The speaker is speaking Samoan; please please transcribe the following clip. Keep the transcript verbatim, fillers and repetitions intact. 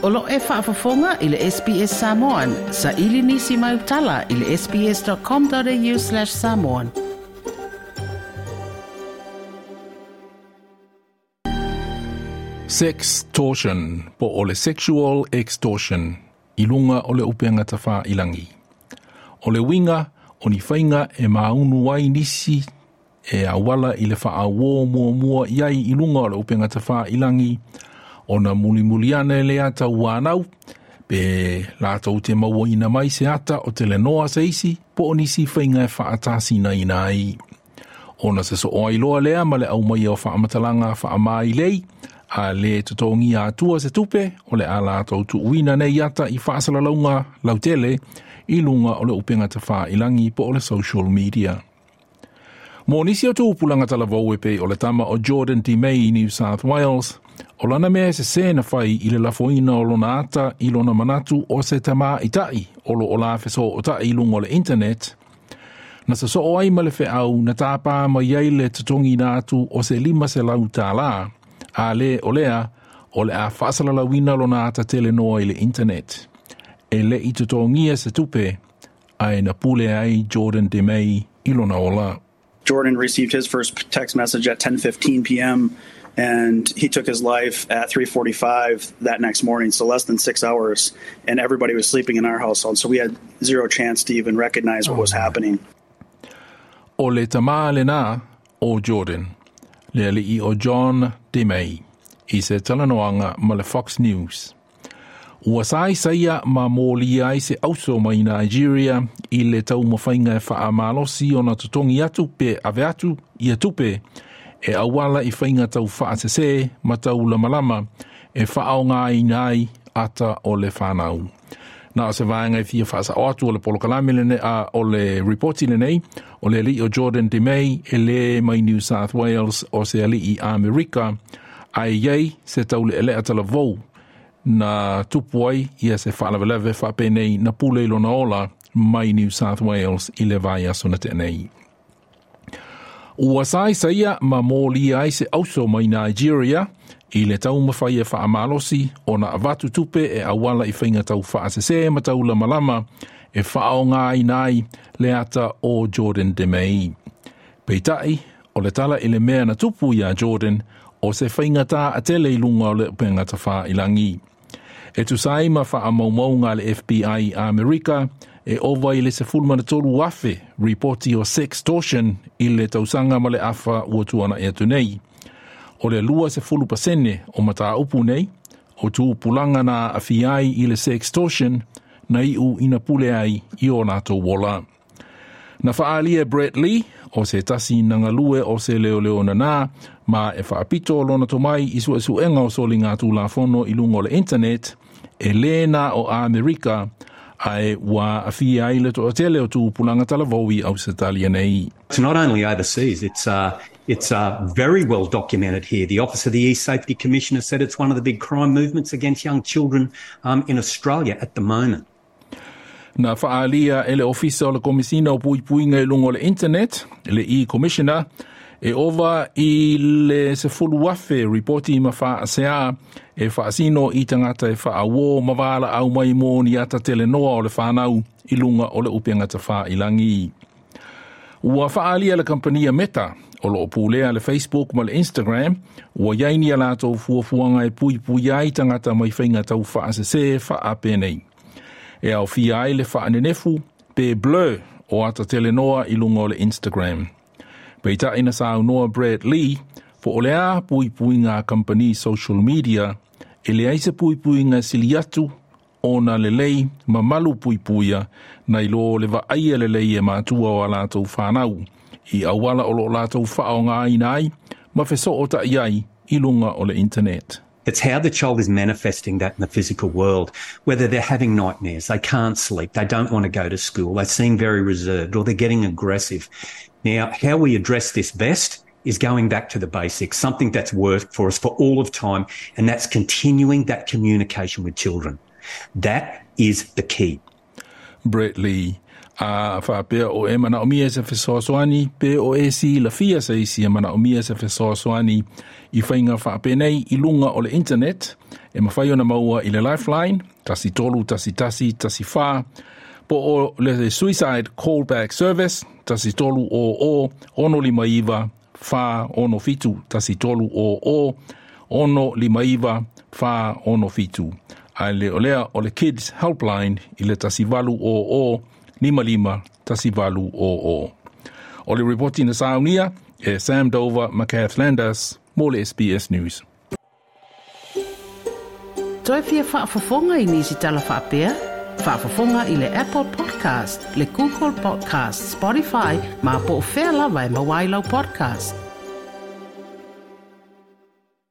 O lo e faafofoga i le S B S Samoan, sa ili nisi mai utala i le S B S dot com dot A U slash samoan. Sextortion po o le sexual extortion i luga o le upega tafailagi. O le uiga o ni faiga e maunu ai nisi e auala i le faauō muamua i ai i luga o le upega tafailagi ona mulimuli ane le ata ua anau pe latou te mauaina mai se ata o telenoa se isi po o nisi faiga e faatasinaina ai. Ona se soo ai loa lea ma le aumaia o faamatalaga faamailei a le totogia atua se tupe o le a latou tuuina nei ata i faasalalauga lautele i luga o le upega tafailagi po o le social media. Mo nisi o tupulaga talavou e pei o le tama o Jordan DeMay i New South Wales, o lana mea sesē na fai i le lafoina o lona ata i lona manatu o se tamaitai o lo o la fesootai i luga o le internet, na sosoo ai ma le feau na tāpā mai ai le totogiina atu o se lima selau tālā, a le o lea, o le a faasalalauina lona ata telenoa i le internet. E le i totogia se tupe, ae na pule ai Jordan DeMay i lona ola. Jordan received his first text message at ten fifteen p m and he took his life at three forty-five that next morning, so less than six hours, and everybody was sleeping in our household, so we had zero chance to even recognize what was happening. O le tamā lenā o Jordan, le alii o John DeMay, i se talanoaga ma le Fox News. Ua saisaia ma molia ai se auso mai Nigeria i le taumafaiga e faamalosi ona totogi atu pe ave atu ia tupe e auala i faiga tau faasesē ma tau lamalama e faaaogaina ai ata o le fanau. Na o se vaega e fia faasao atu o le polokalame lene a o le ripoti lenei, o le alii o Jordan DeMay e le mai New South Wales, o se alii Amerika, ae iai se taulealea talavou na tupu ai ia se faalavelave faapenei na pule i lona ola mai New South Wales i le vaiaso na tea nei. Ua saisaia ma molia ai se auso mai Nigeria i le taumafai e faamalosi ona avatu tupe e auala i faiga tau faasesē ma tau lamalama e faaaogaina ai le ata o Jordan DeMay. Peitai, o le tala i le mea na tupu iā Jordan o se faigatā tele i luga o le upega tafailagi. E tusa ai ma faamaumauga a le F B I Amerika, e ova i le sefulu ma tolu afe ripoti o sextortion i le tausaga ma le afa ua tuana'i atu nei. O le lua sefulu pasene o mataupu nei, o tupulaga na aafia ai i le sextortion na iu ina pule ai i o latou ola. Na faaalia Brett Lee, o se tasi na galue o se leoleo nanā, ma e faapito lona tomai i suesuega o soligatulafono i luga o le internet, e lē na o Amerika, ae ua aafia ai le toatele o tupulaga talavou i Ausetalia nei. It's not only overseas, it's, uh, it's uh, very well documented here. The Office of the E-Safety Commissioner said it's one of the big crime movements against young children um, in Australia at the moment. Na faaalia e le Ofisa o le Komisina o Puipuiga i luga o le Internet, le E-Commissioner, e ova i le sefulu afe ripoti ma faaseā e faasino i tagata e faauō ma valaau mai mo ni ata telenoa o le fanau i luga o le upega tafailagi. Ua faaalia le kampania Meta o loo pulea le Facebook ma le Instagram ua iai ni a latou fuafuaga e puipui ai tagata mai faiga tau faasesē faapenei. E aofia ai le faanenefu pe blur o ata telenoa i luga o le Instagram. Peitai na saunoa Brad Lee, po o le a puipuiga a kampani social media, e leai se puipuiga sili atu ona lelei ma malu puipuia nai lo le vaaia lelei e matua o a latou fanau i auala o loo latou faaaogaina ai ma fesootai ai i luga o le internet. It's how the child is manifesting that in the physical world, whether they're having nightmares, they can't sleep, they don't want to go to school, they seem very reserved, or they're getting aggressive. Now, how we address this best is going back to the basics, something that's worked for us for all of time, and that's continuing that communication with children. That is the key. Brett Lee. A faapea o e manaomia se fesoasoani pe o e silafia se isi e manaomia se fesoasoani i faiga faapenei i luga o le internet, e mafai ona maua i le Lifeline tasi tolu tasi tasi tasi fa po o le Suicide Callback Service tasi tolu o o ono lima iva fa ono fitu tasi tolu o o ono lima iva fa ono fitu. A le o lea o le Kids Helpline i le tasi valu o o lima lima tasi valu o o. O le ripoti na saunia e Sam Dover ma Kath Landers mo le S B S News. Toe fia faafofoga i nisi tala faapea? Faafofoga i le Apple Podcast, le Google Podcast, Spotify, ma po o fea lava e maua ai lau podcast.